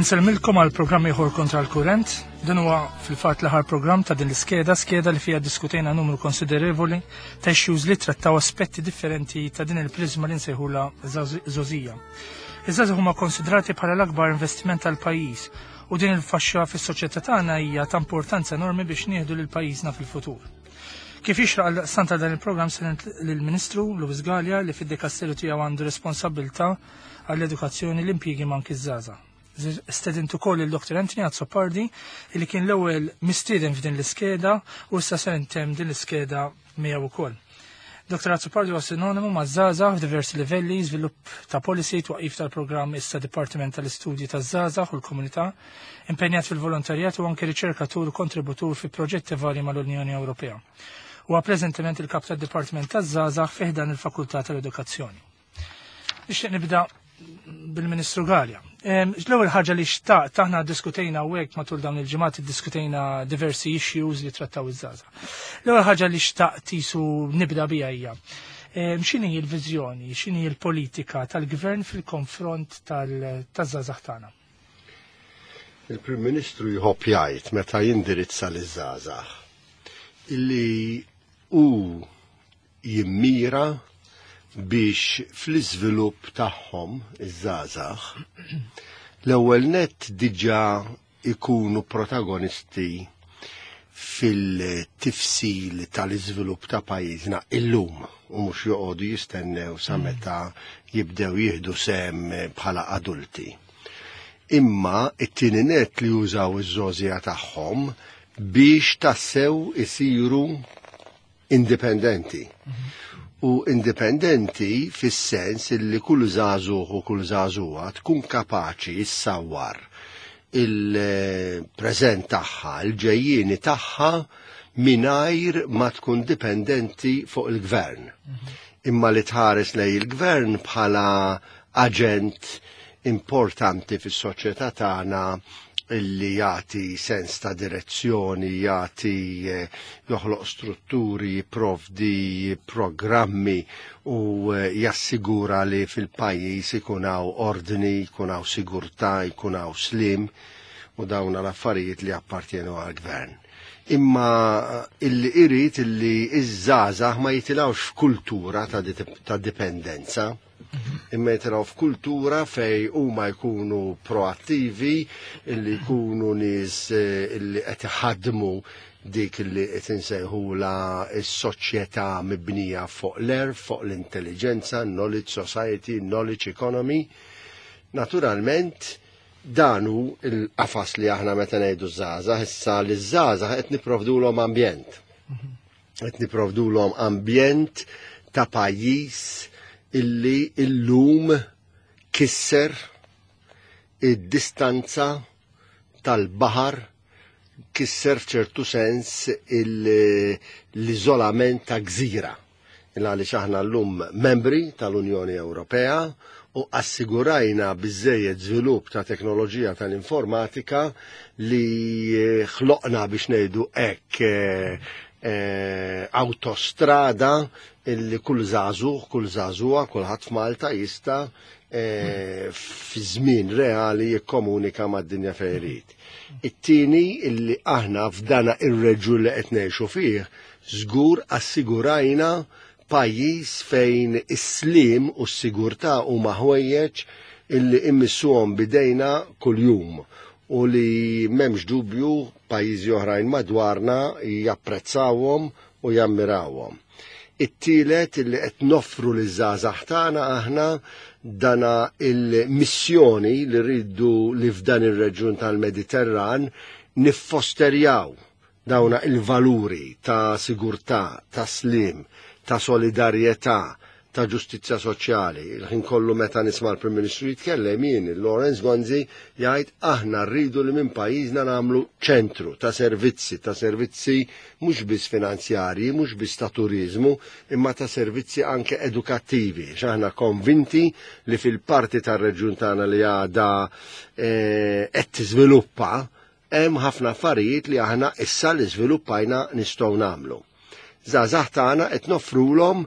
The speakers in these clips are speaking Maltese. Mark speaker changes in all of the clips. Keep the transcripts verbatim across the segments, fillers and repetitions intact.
Speaker 1: Insellmilkom għal programm ieħor Kontra l-Kurrent. Dan huwa fil-fatt l-aħħar programm ta' din l-iskeda, skeda li fiha diskutejna numru konsiderevoli ta' issues li trattaw aspetti differenti ta' din il-prizma li nsejħula żgħożija. Iż-żgħażagħ huma konsidrati bħala l-akbar investiment tal-pajjiż u din il-faxxa fis-soċjetà tagħna hija ta' importanza enormi biex nieħdu lil pajjiżna fil-futur. Kif jixraq għal ta' dan il-programm stedint lill-Ministru Louis Galea li fid-dikasteru tiegħu għandu responsabbiltà għall-edukazzjoni, l-impjiegi u anki ż-żgħażagħ. Stedint ukoll il-Doktor Anthony Azzopardi li kien l-ewwel mistieden f'din l-iskeda u issa se intemm din l-iskeda miegħu ukoll. Doktor Azzopardi huwa sinonimu ma' żgħażagħ f'diversi livelli, żvilupp ta' policy, twaqif tal-programm issa Dipartiment tal-Istudji taż-Żgħażagħ u l-Komunità, impenjat fil-volontarjat u anke riċerkatur u kontributur fi proġetti varji mal-Unjoni Ewropea. Huwa preżentement il-kap tad-Dipartiment taż-Żgħażagħ fi ħdan il-Fakultà tal-Edukazzjoni. Nixtieq nibda bil-Ministru Galea. L-ewwel ħaġa li xtaqt, aħna diskutejna hawnhekk matul dawn il-ġimgħat, diskutejna diversi issues li trattaw iż-żgħażagħ. L-ewwel ħaġa li xtaqt jisu nibda bija hija x'inhi l-viżjoni, x'inhi l-politika tal-gvern fil-konfront taż-żgħażagħ tagħna?
Speaker 2: Il-Prim Ministru jħobb jgħid meta jindirizza liż-żgħażagħ illi hu jimmira biex fl-iżvilupp tagħhom iż-żgħażagħ l-ewwel nett diġà ikunu protagonisti fil-tifsil tal-iżvilupp ta' pajjiżna illum u mhux joqogħdu jistennew sa meta jibdew jieħdu sehem bħala adulti. Imma it-tieni nett li jużaw iż-żgħożija tagħhom biex tassew isiru indipendenti. U indipendenti fis-sens illi kull żagħżugħ u kull żagħżugħa tkun kapaċi issawwar il-preżent tagħha, il-ġejjieni tagħha mingħajr ma tkun dipendenti fuq il-gvern. Imma li tħares lejn il-gvern bħala aġent importanti fis-soċjetà tagħna illi jagħti sens ta' direzzjoni, jagħti eh, joħloq strutturi, jipprovdi programmi u eh, jassigura li fil-pajjiż ikun hawn ordni, ikun hawn sigurtà, ikun hawn slim u dawn l-affarijiet li appartjenu għal-gvern. Imma illi irid illi iż-żgħażagħ ma jitilgħux f'kultura ta', ta' dipendenza, imma jitilgħu f'kultura fej huma jkunu proattivi, illi jkunu nies eh, illi qed iħaddmu dik illi qed insejħula s-soċjetà mibnija fuq l-għerf, fuq l-intelligenza, knowledge society, knowledge economy. Naturalment, dan hu il-qafas li aħna meta ngħidu żgħażagħ, issa li żgħażagħ qed nipprovdulhom ambjent. Qed nipprovdulhom ambjent ta' pajjiż illi illum kisser id-distanza tal-baħar, kisser f'ċertu sens l-iżolament ta' gżira. Għaliex aħna llum membri tal-Unjoni Ewropea u assigurajna biżejjed żvilupp ta' teknoloġija tal-informatika li ħloqna, biex ngħidu hekk, eh, eh, autostrada illi kull żagħżugħ, kull żagħżugħa, kulħadd f'Malta jista' eh, fi żmien reali jikkomunika mad-dinja fejn irid. It-tieni illi aħna f'dana ir-reġjun li qed ngħixu fih żgur assigurajna pajjiż fejn is-slim u s-sigurtà huma ħwejjeġ illi immissuhom bidejna kuljum u li m'hemmx dubju pajjiżi oħrajn madwarna japprezzawhom u jammirawhom. It-tielet illi qed noffru liż-żgħażagħ tagħna aħna dana il-missjoni li rridu li f'dan ir-reġjun tal-Mediterran niffosterjaw dawna il-valuri ta' sigurtà, ta' slim, ta' solidarjetà, ta' ġustizzja soċjali. Il-ħin kollu meta nisma' l-Prim Ministru jitkellem jien, Lawrence Gonzi jgħid aħna rridu li minn pajjiżna nagħmlu ċentru ta' servizzi, ta' servizzi mhux biss finanzjarji, mhux biss ta' turiżmu, imma ta' servizzi anke edukattivi. X'aħna konvinti li fil-parti tar-reġjun tagħna li għadha eh, qed tiżviluppa hemm ħafna affarijiet li aħna issa li żviluppajna nistgħu nagħmlu. Żgħażagħ tagħna qed noffrulhom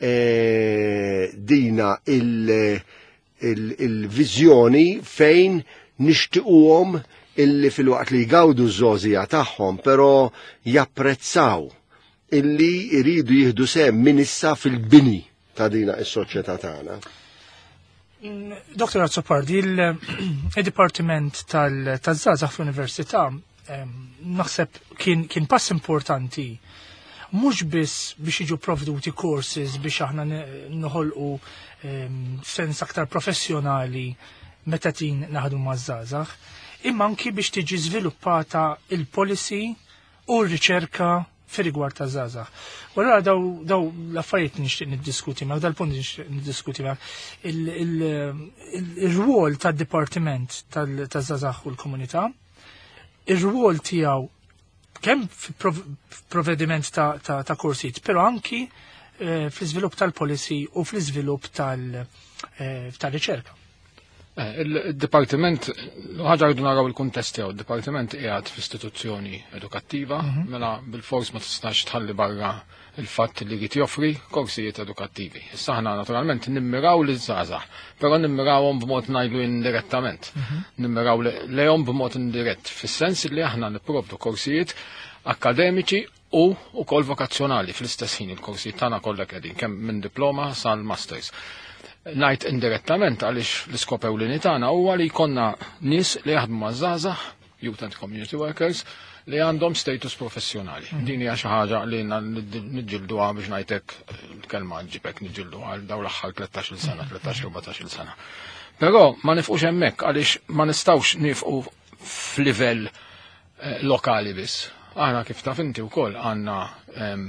Speaker 2: eh, dina il-viżjoni fejn Nixtiquhom illi fil-waqt li jgawdu ż-żgħożija tagħhom, però japprezzaw illi jridu jieħdu sehem minn issa fil-bini ta' dina is-soċjetà tagħna.
Speaker 1: Doktor Azzopardi, il-Dipartiment tal-Żgħażagħ fl-Università naħseb kien, kien pass importanti mhux biss biex jiġu provduti courses biex aħna noħolqu sens aktar professjonali meta tin naħdu maż-żgħażagħ, imma anki biex tiġi żviluppata il-policy u r-riċerka fir-rigward ta' żgħażagħ. U allura daw, daw l-affarijiet nixtieq niddiskuti ma' dal-punt nixtieq niddiskuti ma' il-rwol tad-dipartiment taż-żgħażagħ u l-komunità, ir-rwol tiegħu kemm f'provvediment ta', ta, ta' korsijiet, però anki eh, fl-iżvilupp tal-policy u fl-iżvilupp tal-riċerka.
Speaker 3: Eh, Il-Dipartiment, ħaġa rridu naraw il-kuntest tiegħu, il-Dipartiment qiegħed f'istituzzjoni edukattiva, mela bil-fors ma tistax tħalli barra il-fatt li jrid joffri korsijiet edukattivi. Issa aħna naturalment nimmiraw li żgħażagħ, però nimmirawhom b'mod ngħidu indirettament. Nimmiraw lejhom b'mod indirett, fis-sens li aħna nipprovdu korsijiet akademiċi u wkoll vokazzjonali fl-istess ħin il-korsijiet tagħna kollha qegħdin kemm minn diploma sal-masters. Ngħid indirettament għaliex l-iskop ewlieni tagħna huwa li jkollna nies li jaħdmu maż-żgħażagħ, youth and community workers, li għandhom status professjonali. Din hija xi ħaġa li niġġilduha biex ngħidlek il-kelma ġibek niġġilduha għal dawn l-aħħar tlettax-il sena, tlettax erbatax-il sena. Però ma nifqux hemmhekk għaliex ma nistgħux nifqu f'livell eh, lokali biss. Aħna kif taf inti wkoll għandna ehm,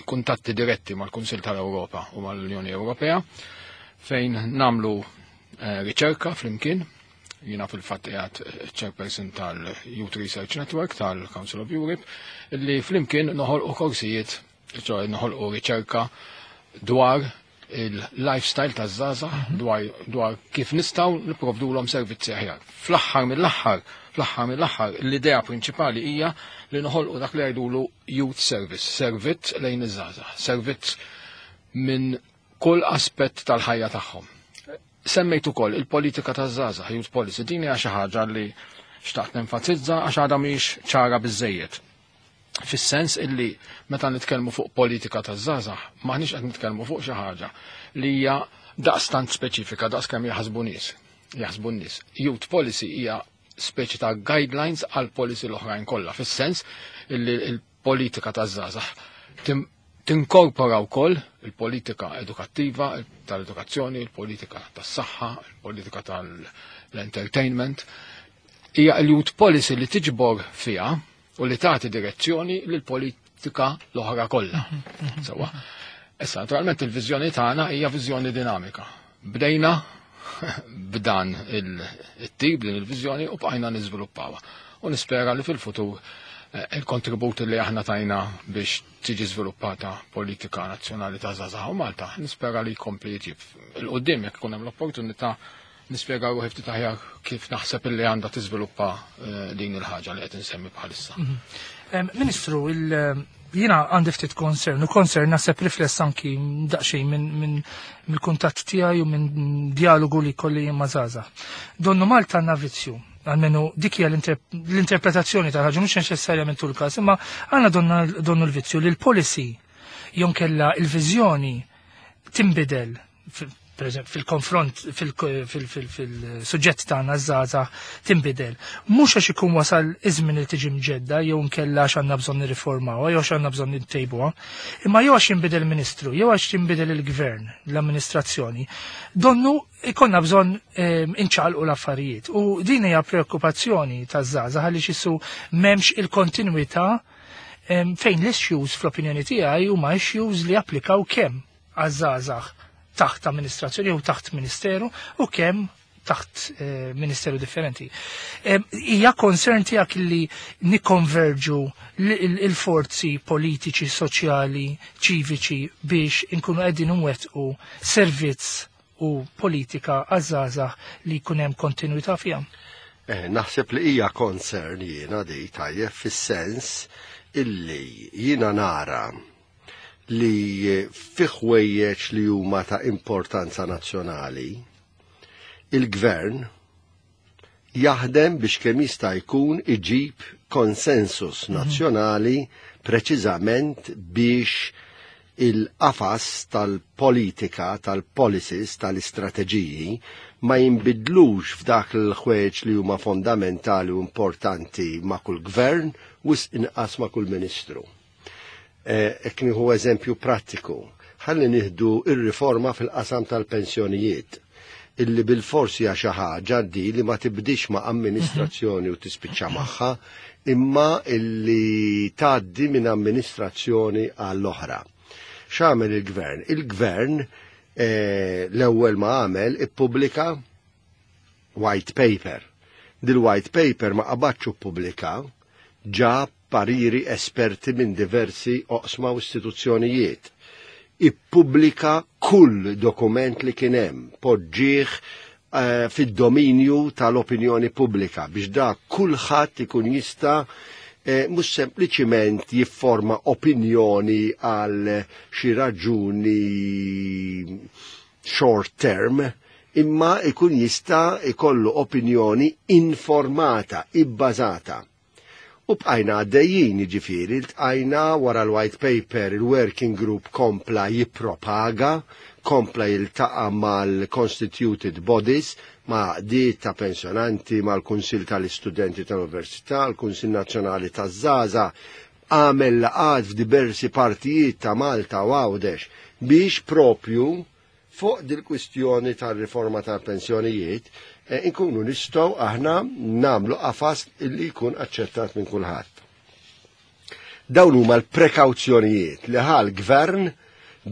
Speaker 3: kuntatti diretti mal-Kunsil tal-Ewropa u mal-Unjoni Ewropea fejn namlu eh, riċerka flimkien. Jiena fil-fatt qiegħed chairperson tal-Youth Research Network tal-Council of Europe li flimkien noħolqu korsijiet, ċoè noħolqu riċerka dwar il-lifestyle taż-żgħażagħ, dwar, dwar kif nistgħu nipprovdulhom servizzi aħjar. Fl-aħħar mill-aħħar, fl-aħħar mill-aħħar, l-idea prinċipali hija li noħolqu dak li jgħidulu youth service, servizz lejn iż-żgħażagħ, servizz minn kull aspett tal-ħajja tagħhom. Semmejt ukoll il-politika taż-żgħażagħ, youth policy, din hija xi ħaġa li xtaqt nenfasizza għax għadha mhix ċara biżejjed. Fis-sens illi meta nitkellmu fuq politika taż-żgħażagħ, m'aħniex qed nitkellmu fuq xi ħaġa li hija daqstant speċifika daqs kemm jaħsbu nies. Jaħsbu n-nies. Youth policy hija speċi ta' guidelines għal policy l-oħrajn kollha, fis-sens illi l-politika taż-żgħażagħ tinkorpora wkoll il-politika edukattiva, tal-edukazzjoni, il-politika tas-saħħa, il-politika tal-entertainment. Hija l-youth policy li tiġbor fiha u li tagħti direzzjoni lill-politika l-oħra kollha. Sewwa. Issa, naturalment il-viżjoni tagħna hija viżjoni dinamika. Bdejna b'dan il-tip din il-viżjoni u bqajna niżviluppawha. U nispera li fil-futur il-kontribut li aħna tajna biex tiġi żviluppata politika nazzjonali ta' żgħażagħ u Malta, nispera li jkompli jġib. Il-qoddim jekk ikun hemm l-opportunità nispjega ruħi ftit aħjar kif naħseb illi għandha tiżviluppa din il-ħaġa li qed insemmi bħalissa.
Speaker 1: Ministru, jiena għandi ftit concern, u concern naħseb rifless anki daqsxejn minn mill-kuntatt tiegħi u minn dialogu li kolli ma' żgħażagħ. Donnu Malta għandna vizzju, għalmenu dik hija l-interpretazzjoni tal-ħaġa, mhux neċessarjament tul każ, imma għandna donnu l-vizzju li l-policy jonkella il-viżjoni tinbidel per eżempju, fil-konfront, fil-suġġett tagħna żgħażagħ tinbidel. Mhux għax ikun wasal iż-żmien li tiġi mġedda jew nkella għax għandna bżonn nirriformawha jew għax għandna bżonn nittejbuha, imma jew għax jinbidel il-Ministru, jew għax jinbidel il-Gvern, l-amministrazzjoni. Donnu ikonna bżonn inċaqalqu l-affarijiet. U din hija preokkupazzjoni taż-żgħażagħ għaliex issu m'hemmx il-kontinwità fejn l-issues fl-opinjoni tiegħi huma issues li applikaw kemm għaż-żgħażagħ taħt amministrazzjoni jew taħt ministeru u kemm taħt eh, ministeru differenti. Hija concern tiegħek li nikkonverġu il-forzi politiċi, soċjali, ċiviċi biex inkunu qegħdin nwettqu servizz u politika għaż-żgħażagħ li jkun hemm kontinuità fiha.
Speaker 2: Eh, naħseb li hija concern jiena di tajjeb fis-sens illi jiena nara li fi ħwejjeġ li huma ta' importanza nazzjonali, il-gvern Jaħdem biex kemm jista' jkun iġib konsensus nazzjonali preċiżament biex il-qafas tal-politika, tal-policies, tal-istrateġiji ma jinbidlux f'dak l-ħwejjeġ li huma fondamentali u importanti ma' kull gvern u inqas ma' kull ministru. Hekk nieħu eżempju prattiku. Ħalli nieħdu ir-riforma fil-qasam tal-pensjonijiet illi bil-forsi hija xi ħaġa di li ma tibdix ma' amministrazzjoni u tispiċċa magħha, imma illi tgħaddi minn amministrazzjoni għall-oħra. X'għamel il-gvern? Il-gvern eh, l-ewwel ma għamel ippubblika white paper. Dil-white paper ma qabadx ippubblika, ġab pariri esperti minn diversi oqsma u istituzzjonijiet. Ippubblika kull dokument li kien hemm, poġġih eh, fid-dominju tal-opinjoni pubblika biex da kulħadd ikun jista' eh, mhux sempliċiment jifforma opinjoni għal xi raġuni short term, imma ikun jista' ikollu opinjoni informata, ibbażata. U bqajna għaddejjin, ġifieri, ltqajna wara l-white paper, il-working group kompla jippropaga, kompla jiltaqa mal-constituted bodies, ma' di ta' pensjonanti, mal-Kunsil tal-Istudenti tal-Università, l-Kunsil Nazzjonali taż-Żgħażagħ, għamel laqgħat f'diversi partijiet ta' Malta u Għawdex biex propju fuq dil-kwistjoni tal-riforma tal-pensjonijiet eh, inkunu nistgħu aħna namlu qafas illi jkun aċċettat minn kulħadd. Dawn huma l-prekawzjonijiet li ħa l-gvern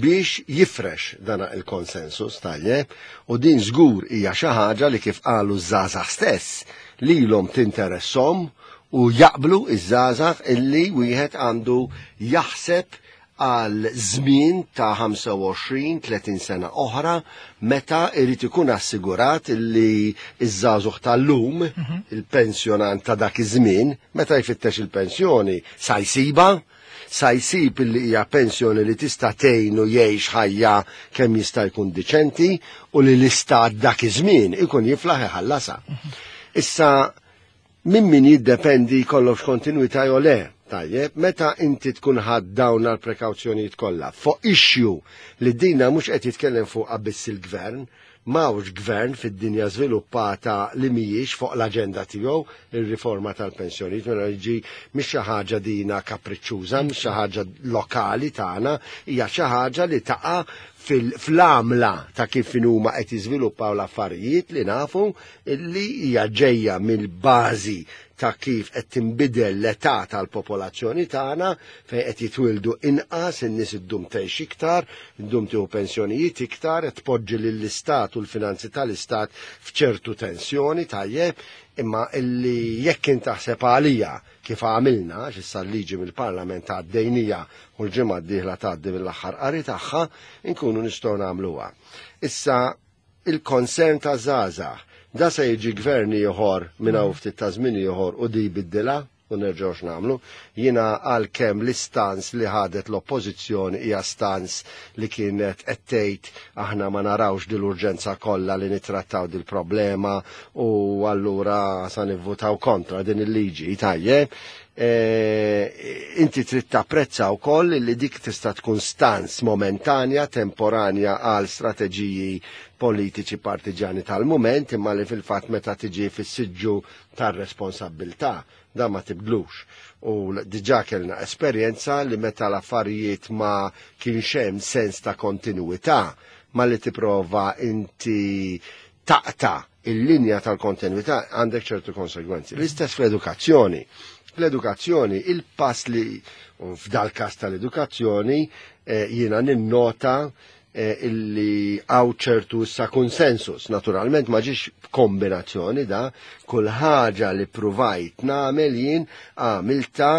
Speaker 2: biex jifrex dana il-konsensus tajjeb u din żgur hija xi ħaġa li kif qalu ż-żgħażagħ stess lilhom tinteressom u jaqblu iż-żgħażagħ illi wieħed għandu jaħseb għal żmien ta' ħamsa u għoxrin tletin sena oħra meta irid ikun assigurat illi iż-żagħżugħ tal-lum, il-pensjonant ta' dak iż-żmien, meta jfittex il-pensjoni sa jsibha, sa jsib illi hija pensjoni li tista' tgħinu jgħix ħajja kemm jista' jkun diċenti u li l-istat dak iż-żmien ikun jiflaħ iħallasha. Issa minn min jiddependi jkollokx kontinuità jew le. Tajjeb, meta inti tkun ħadt dawn għal prekawzjonijiet kollha fuq issue li dina mhux qed jitkellem fuq biss il-gvern, m'hawnx gvern fid-dinja żviluppata li mhijiex fuq l-aġenda tiegħu ir-riforma tal-pensjonijiet, mela jiġi mhix xi ħaġa dina kapriċċuża, mhix xi ħaġa lokali tagħna, hija xi ħaġa li taqa' fil-għamla ta' kif huma qed jiżviluppaw l-affarijiet li nafu li hija ġejja mill-bażi ta' kif qed tinbidel l-età tal-popolazzjoni tagħna, fejn qed jitwildu inqas, in-nies iddum tgħix iktar, iddum tieħu pensjonijiet iktar, qed tpoġġi lill-istat u l-finanzi tal-istat f'ċertu tensjoni, tajjeb, imma illi jekk int taħseb għalija kif għamilna, x'issa l-liġi mill-Parlament għaddejnija u l-ġimgħa d-dieħla tgħaddi mill-aħħar qari tagħha, inkunu nistgħu nagħmluha. Issa il-konsern ta' żgħażagħ, da se jiġi gvern ieħor minn hawn ftit ta' żmien ieħor u di biddilha u nerġgħux nagħmlu. Jiena għalkemm l-istance li ħadet l-oppożizzjoni hija stance li kienet qed tgħid aħna ma narawx dil-urġenza kollha li nittrattaw dil-problema u allura sa nivvutaw kontra din il-liġi, tajjeb. E, inti trid tapprezza wkoll li dik tista' tkun stance momentanja, temporanja għal strateġiji politiċi partiġani tal-moment, imma li fil-fatt meta tiġi fis-siġġu tar-responsabbiltà da ma tibdlux. U diġà kellna esperjenza li meta l-affarijiet ma kienx hemm sens ta' kontinuità, ma li tipprova inti taqta' il-linja tal-kontinuità għandek ċertu konsegwenzi. L-istess fl-edukazzjoni. Fl-edukazzjoni, il-pass li f'dal kas tal-edukazzjoni eh, jiena ninnota eh, illi hawn ċertu sa konsensus. Naturalment ma ġiex kombinazzjoni da, kull ħaġa li pruvajt nagħmel jien għamilta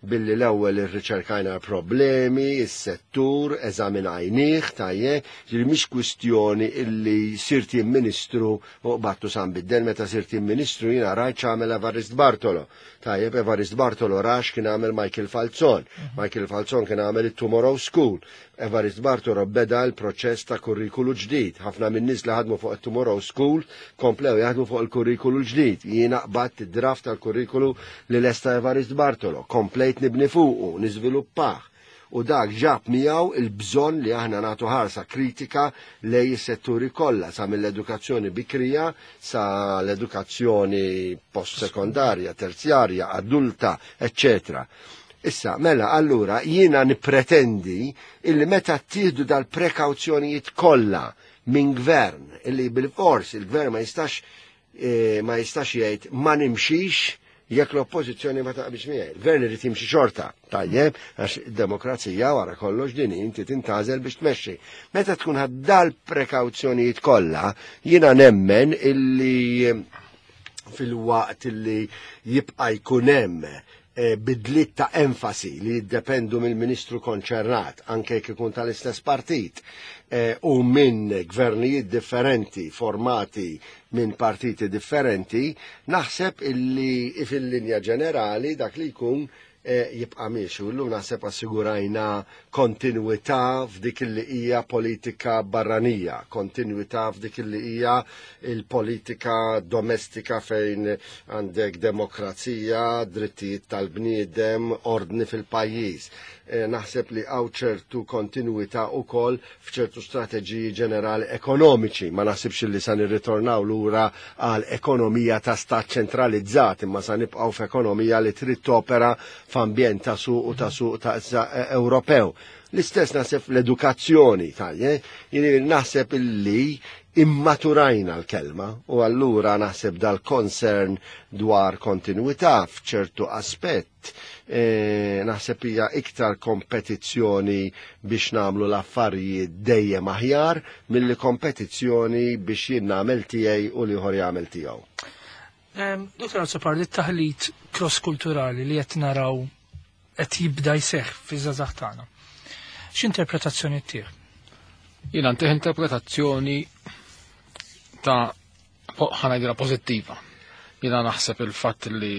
Speaker 2: billi l-ewwel irriċerkajna problemi, is-settur, eżaminajnih, tajjeb, ġifieri mhix kwistjoni illi sirt jien ministru u battu san biddel. Meta sirt jien ministru jiena rajt x'għamel Evarist Bartolo. Tajjeb, Evarist Bartolo rax kien għamel Michael Falzon. Michael Falzon kien għamel it-Tomorrow School. Evarist Bartolo beda l-proċess ta' kurrikulu ġdid. Ħafna minn nies li ħadmu fuq it-Tomorrow School komplew jaħdmu fuq il-kurrikulu ġdid. Jiena qbadt id-draft tal-kurrikulu li lesta Evarist Bartolo, komplejt nibni fuqu, niżviluppah. U dak ġab miegħu il-bżonn li aħna nagħtu ħarsa kritika lej is-setturi kollha, sa mill-edukazzjoni bikrija sa l-edukazzjoni post-sekondarja, terzjarja, adulta, eccetera. Issa, mela, allura, jiena nipretendi illi meta ttieħdu dal-prekawzjonijiet kollha minn gvern, illi bil-fors il-gvern ma jistax eh, ma jistax jgħid ma nimxix jekk l-oppożizzjoni ma taqbilx miegħi. Il-gvern irid jimxi xorta, tajjeb, għax id-demokrazija wara kollox din inti tintażel biex tmexxi. Meta tkun ħadd dal-prekawzjonijiet kollha, jiena nemmen illi fil-waqt illi jibqa' jkun hemm bidliet ta' enfasi li jiddependu mill-ministru konċernat, anke jekk ikun tal-istess partit, u minn gvernijiet differenti formati minn partiti differenti, naħseb illi fil-linja ġenerali dak li jkun jibqa' miexi. U llum naħseb assigurajna kontinuità f'dik li hija politika barranija, kontinuità f'dik li hija il-politika domestika fejn għandek demokrazija, drittijiet tal-bniedem, ordni fil-pajjiż. Naħseb li hawn ċertu kontinuità wkoll f'ċertu strateġiji ġenerali ekonomiċi. Ma naħsibx li sa nirritornaw lura għal ekonomija ta' stat ċentralizzat, imma sa nibqgħu f'ekonomija li trid topera f'ambjent ta' suq u ta' suq ta' Ewropew. L-istess naħseb l-edukazzjoni, tajje, jiġifieri naħseb illi immaturajna l-kelma u allura naħseb dal-concern dwar kontinuità f'ċertu aspett e, naħseb hija iktar kompetizzjoni biex nagħmlu l-affarijiet dejjem aħjar milli kompetizzjoni biex jien nagħmel tiegħi u l-ieħor jagħmel tiegħu.
Speaker 1: Dottor Azzopardi, it-taħlit cross-kulturali li qed naraw qed jibda jseħħ fiż-żgħażagħ tagħna. X'interpretazzjoni ttih?
Speaker 3: Jiena ntih interpretazzjoni ta' ħa ngħidilha pożittiva. Jiena naħseb il-fatt li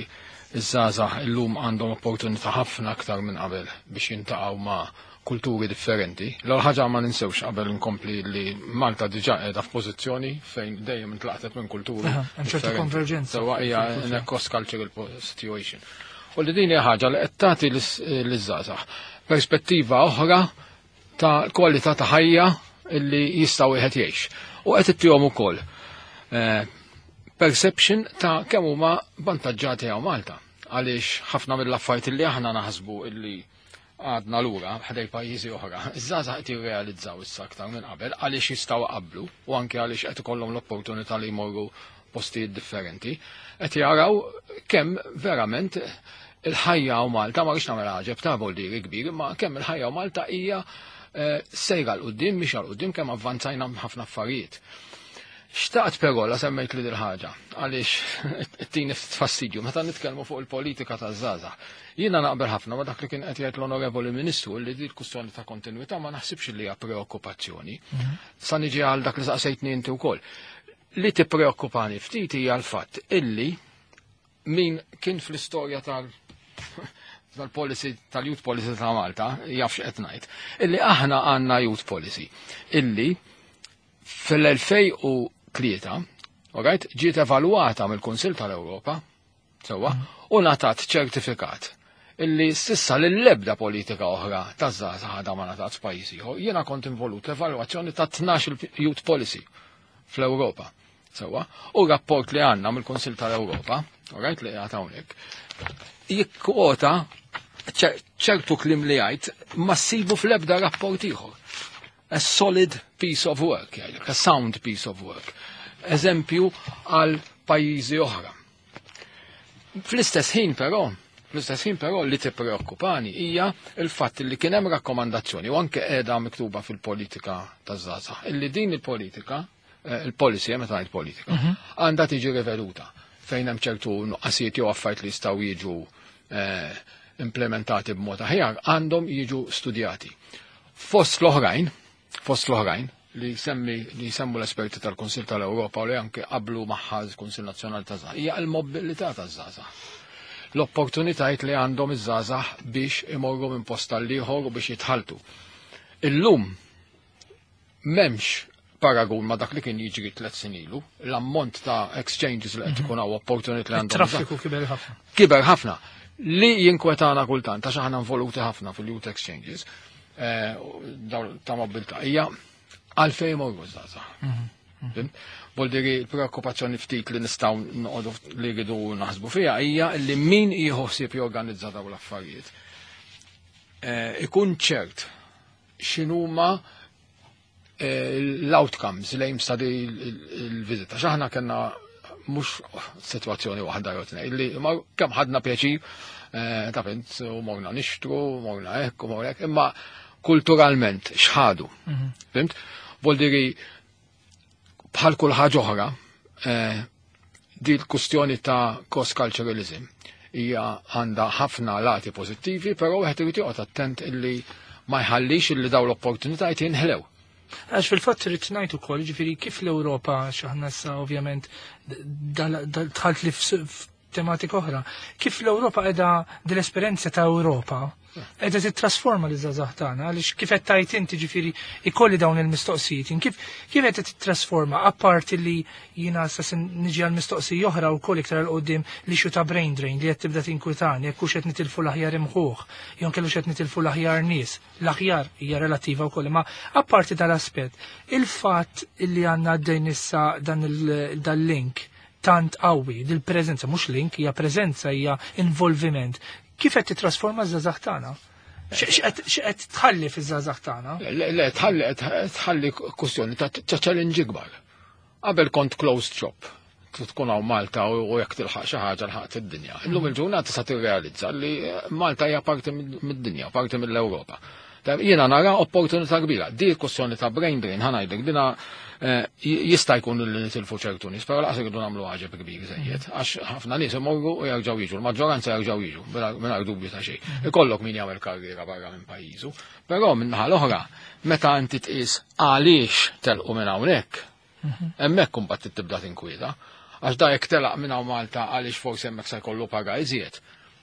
Speaker 3: iż-żgħażagħ illum għandhom opportunità ħafna aktar minn qabel biex jintaqgħu ma' kulturi differenti. L-ewwel ħaġa ma ninsewx qabel nkompli li Malta diġà qiegħda f'pożizzjoni fejn dejjem intlaqtet minn kulturi.
Speaker 1: Hemm ċertu konverġenza.
Speaker 3: Sewwa hija in a cross-cultural situation. U li din hija ħaġa li qed tagħti liż-żgħażagħ perspettiva oħra ta' kwalità ta' ħajja illi jistgħu wieħed jgħix. U qed ittihom ukoll perception ta' kemm huma vantaġġati hawn Malta. Għaliex ħafna mill-affarijiet li aħna naħsbu illi għadna lura ħdej pajjiżi oħra, iż-żgħażagħ qed jirrealizzaw issa aktar minn qabel għaliex jistgħu qablu u anke għaliex qed ikollhom l-opportunità li jmorru postijiet differenti, qed jaraw kemm verament il-ħajja u Malta, ma rridx nagħmel għaġeb ta' voldiri kbir, ma kemm il-ħajja u Malta hija sejra 'l quddiem mhix 'l quddiem kemm avvanzajna ħafna affarijiet. Xtaqt però la semmejt li dil-ħaġa, għaliex tini fastidju, meta nitkellmu fuq il-politika taż-żgħażagħ. Jiena naqbel ħafna ma dak li kien qed jgħid l-Onorevoli Ministru li di l-kwistjoni ta' kontinuità ma naħsibx li hija preokkupazzjoni. Sa niġi għal dak li saqsejtni inti wkoll. Li tippreokkupani ftit hija l-fatt illi min kien fl-istorja tal tal-policy tal-youth policy ta' Malta, jaf x'qed ngħid, illi aħna għandna youth policy illi fil-elfejn u tlieta, alright, ġiet evalwata mill-Kunsill tal-Ewropa, sewwa, u ngħatat ċertifikat illi s'issa l-ebda politika oħra ta' żgħażagħ għadha ma ngħatat f'pajjiż ieħor. Jiena kont involut l-evalwazzjoni ta' tnax il-youth policy fl-Ewropa. Sewwa, u rapport li għandna mill-Kunsill tal-Ewropa, alright, li qiegħed hawnhekk, jikkwota ċertu kliem li jgħid ma ssibu fl-ebda rapport ieħor. A solid piece of work, jgħidlek, a sound piece of work. Eżempju għal pajjiżi oħra. Fl-istess ħin però, fl-istess ħin però li tippreokkupani hija il-fatt li kien hemm rakkomandazzjoni u anke qiegħda miktuba fil-politika taż-żgħażagħ, illi din il-politika, il-policy, meta ngħid politika, għandha tiġi riveduta fejn hemm ċertu nuqqasijiet jew affarijiet li jistgħu jiġu implementati b'mod aħjar, għandhom jiġu studjati. Fost l-oħrajn, fost l-oħrajn, li semmi li semmu l-esperti tal-Kunsill tal-Ewropa u li anke qablu magħha l-Kunsill Nazzjonali taż-Żgħażagħ, hija l-mobilità taż-żgħażagħ. L-opportunitajiet li għandhom iż-żgħażagħ biex imorru minn post għal ieħor u biex jitħaltu. Illum m'hemmx paragun ma dak li kien jiġri tliet snin ilu, l-ammont ta' exchanges li qed ikun hawn, opportunity li għandhom.
Speaker 1: Traffiku kiber ħafna.
Speaker 3: Kiber ħafna. Li jinkwetana kultant, għax aħna involuti ħafna fil-youth exchanges, eh, ta' mobilità, hija għalfejn morru żgħażagħ. Mhm. Voldiri, l-preokkupazzjoni ftit li nistgħu noqogħdu li rridu naħsbu fiha hija li min jieħu ħsieb jorganizza dawn l-affarijiet. Eh, ikun ċert x'inhuma eh, l-outcomes li jimsta di il-vizita. X'aħna kellna mhux sitwazzjoni waħda jew tnejn li kemm ħadna pjaċir, eh, ta' fint, u morna nixtru, morna hekk u morna hekk, imma kulturalment x'ħadu. Mhm. Fimt? Voldiri, bħal kull ħaġa oħra, eh, di l-kustjoni ta' cross-culturalism hija għandha ħafna lati pożittivi, però wieħed irid joqgħod attent illi ma jħallix illi dawn l-opportunitajiet jinħlew.
Speaker 1: Għax fil-fatt rrid ngħid ukoll, ġifieri kif l-Ewropa, x'aħna issa ovvjament dħalt li f'tematika oħra, kif l-Ewropa qiegħda dil-esperjenza ta' Ewropa qiegħda titrasforma li żgħażagħ tagħna, għaliex kif qed tajt inti, ġifieri ikolli dawn il-mistoqsijiet, kif kif qed titrasforma, apparti li jiena sa niġi għal mistoqsija oħra wkoll iktar 'il quddiem li xu ta' brain drain li qed tibda tinkwitani, jekk hux qed nitilfu l-aħjar imħuħ, jew kellu qed nitilfu l-aħjar nies, l-aħjar hija relattiva wkoll, imma apparti dal-aspett, il-fatt li għandna għaddejn issa dan il-link tant qawwi, dil-preżenza, mhux link, hija preżenza, hija involviment, kif qed titrasforma ż-żgħażagħ tagħna? X'qed tħalli fiż-żgħażagħ tagħna?
Speaker 3: Le, le, tħalli tħalli kwestjoni ta' challenge ikbar. Qabel kont closed shop, tkun hawn Malta u jekk tilħaq xi ħaġa lħaqt id-dinja. Illum il-ġurnata sa tirrealizza li Malta hija parti mid-dinja, parti mill-Ewropa. Jiena nara opportunità kbira. Di kwestjoni ta' brain drain, ħa ngħidlek, dina eh, jista' jkun li nitilfu ċertu nies, però laqas irridu nagħmlu għaġeb kbir żejjed, għax ħafna nies imorru u jerġgħu jiġu, l-maġġoranza jerġgħu jiġu, mingħajr dubju ta' xejn. Ikollok min jagħmel karriera barra minn pajjiżu, però minn naħa l-oħra, meta inti tqis għaliex telqu minn hawnhekk, hemmhekk imbagħad tibda tinkwieta. Għax da jekk telaq minn hawn Malta għaliex forsi hemmhekk se jkollu paga iżjed,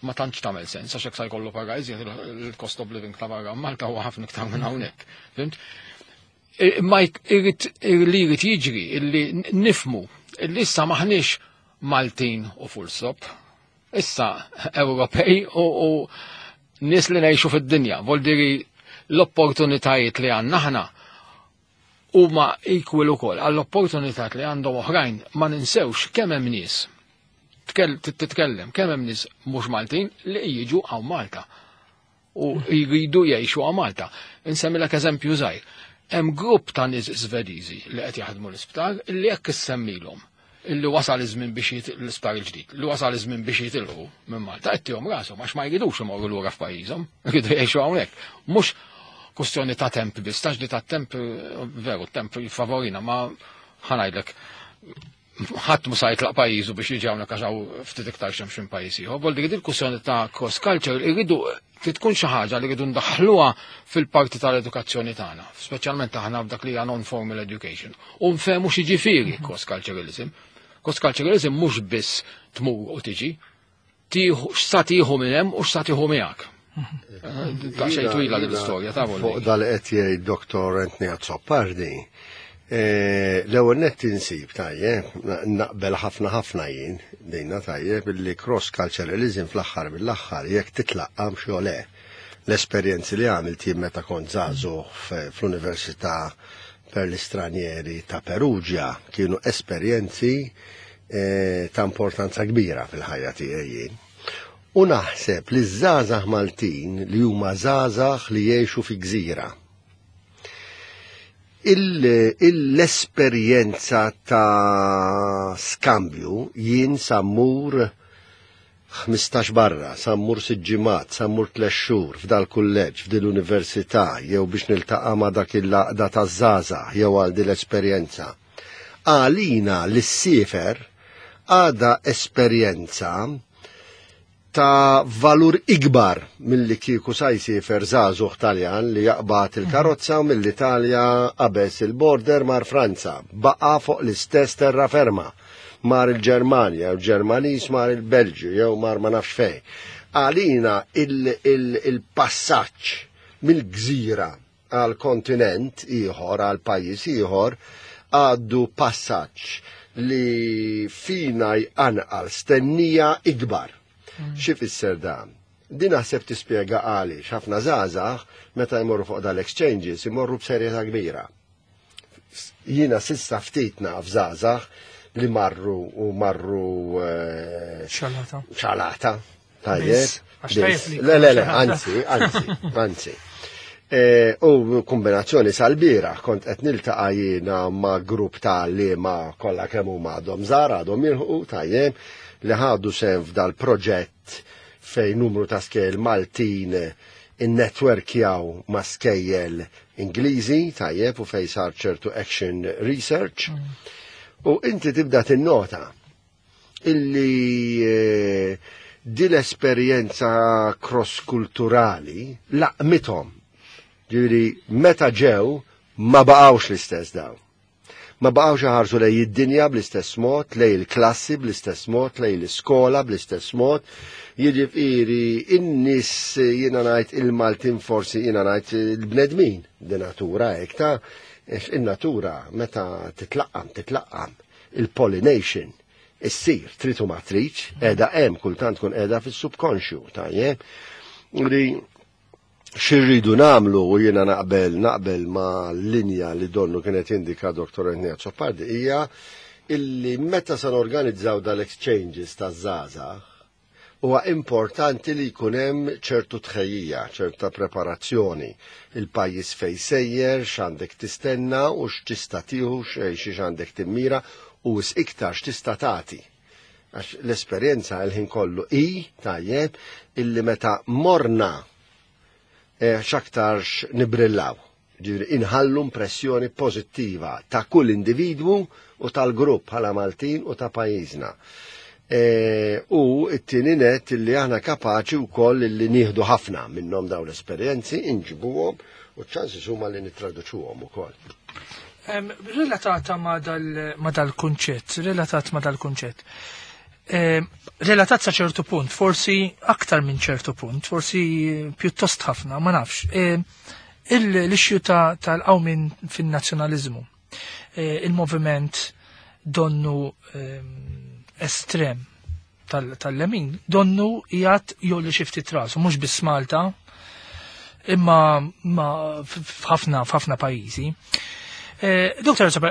Speaker 3: ma tantx tagħmel sens, għax hekk se jkollu paga iżjed, il-cost of living ta' barra Malta huwa ħafna iktar minn hawnhekk. Fimt? Ma irrid li jrid jiġri illi nifmu illi issa maħniex Maltin u full stop. Issa Ewropej u, u nies li ngħixu fid-dinja. Voldiri l-opportunitajiet li għandna aħna huma equal ukoll għall-opportunitajiet li għandhom oħrajn. Ma ninsewx kemm hemm nies, titkellem kemm hemm nies mhux Maltin li jiġu hawn Malta u jridu jgħixu hawn Malta. Insemmilek eżempju żgħir. Hemm grupp ta' nies Svediżi li qed jaħdmu l-isptar li jekk issemmilhom illi wasal iż-żmien biex l-isptar il-ġdid, li wasal iż-żmien biex jitilqu minn Malta, qed rashom għax ma jridux imorru lura f'pajjiżhom, jridu jgħixu hawnhekk. Mhux kwestjoni ta' temp biss, tax li ta' temp, veru, temp jiffavorina, ma ħa ngħidlek, ħadd mu sa jitlaq pajjiżu biex jiġi hawnhekk għax hawn ftit iktar xemx minn pajjiż ieħor. Vol dik il-kwestjoni ta' cross culture irridu tkun xi ħaġa li rridu ndaħħluha fil-parti tal-edukazzjoni tagħna, speċjalment aħna f'dak li hija non-formal education. U nfehmu x'jiġifieri cross culturalism. Cross culturalism mhux biss tmur u tiġi, tieħu x'sa tieħu minn hemm u x'sa tieħu miegħek. Ta' xejn twila din l-istorja ta'
Speaker 2: Fuq dal qed jgħid Dottor Anthony Azzopardi. Eh, l-ewwel nett insib tajjeb, naqbel ħafna ħafna jien dejna tajjeb illi cross culturalism fl-aħħar mill-aħħar jekk titlaqqam xi le. L-esperjenzi li għamilt jien meta kont żagħżugħ fl-Università per l-Istranieri ta' Perugia kienu esperjenzi eh, ta' importanza kbira fil-ħajja tiegħi jien. U naħseb li ż-żgħażagħ Maltin li huma żgħażagħ li jgħixu fi gżira, l-esperjenza ta' skambju, jien sa mmur ħmistax barra, sa mmur sitt ġimgħat, sa mmur tliet xhur f'dal kulleġġ, f'dil università, jew biex niltaqa' ma' dak il-laqda ta' żgħażagħ jew għal din l-esperjenza. Għalina l-sifer għada esperjenza ta' valur ikbar milli kieku sa jsifer żagħżugħ Taljan li jaqbad il-karozza mill-Italja, qabeż il-border, mar Franza, baqa fuq l-istess terraferma, mar il-Ġermanja, u Ġermanis mar il-Belġju, jew mar ma nafx fej. Għalina il-passaġġ mill-gżira għal kontinent ieħor, għal pajjiż ieħor, għaddu passaġġ li fina jqanqal stennija ikbar. Mm. Xi fisser dan? Din naħseb tispjega għaliex ħafna żgħażagħ meta jmorru fuq dal-exchanges imorru b'serjetà kbira. Jiena sissa ftit naf żgħażagħ li marru u marru eh,
Speaker 1: xalata.
Speaker 2: Xalata. Tajjeb. Le, le, le, anzi, anzi, anzi. E, u kombinazzjoni sal-bira, kont qed niltaqa' jiena ma' grupp ta' li ma' kollha kemm huma għadhom żgħar għadhom jilħqu tajjeb li ħadu sehem f'dal-proġett fejn numru ta' skejjel Maltin innetwerkjaw ma' skejjel Ingliżi tajjeb u fejn sar ċertu action research. Mm. U inti tibda tinnota illi eh, di l-esperjenza cross-kulturali laqmithom. Ġifieri meta ġew ma baqgħux l-istess daw. Ma baqgħux iħarsu lej id-dinja bl-istess mod, lej il-klassi bl-istess mod, lej l-iskola bl-istess mod. Jiġifieri in-nies jiena ngħid il-Maltin forsi jiena ngħid il-bnedmin di natura hekk ta' in-natura meta titlaqqam titlaqqam il-pollination issir trid u ma tridx, qiegħda hemm kultant tkun qiegħda fis-subkonxju, tajjeb. Li xirridu nagħmlu u jiena naqbel naqbel ma' linja li donnu kienet indika Doktor Anthony Azzopardi hija illi meta se norganizzaw dal-exchanges taż-żgħażagħ huwa importanti li jkun hemm ċertu tħejjija, ċerta preparazzjoni. Il-pajjiż fejn sejjer, x'għandek tistenna u x'tista' tieħu, x'għandek timmira u iktar x'tista' tagħti. Għax l-esperjenza l-ħin kollu i tajjeb illi meta morna x'aktarx nibrillaw. Ġifieri inħallu impressjoni pożittiva ta' kull individwu u tal-grupp bħala Maltin u ta' pajjiżna. E, u it-tieni net illi aħna kapaċi wkoll illi nieħdu ħafna minnhom dawn l-esperjenzi, inġibuhom u ċ-ċansi huma li nittraduċuhom ukoll.
Speaker 1: Relatata ma dal-kunċett, relatat ma dal-kunċett. Relatat sa ċertu punt, forsi aktar minn ċertu punt, forsi pjuttost ħafna, ma nafx. L-issue tal-qawmin fin-nazzjonaliżmu, il-moviment donnu estrem tal-lemin, donnu jgħat jolli xi ftit rasu, mhux biss Malta, imma f'ħafna f'ħafna pajjiżi. Doktor Sabra,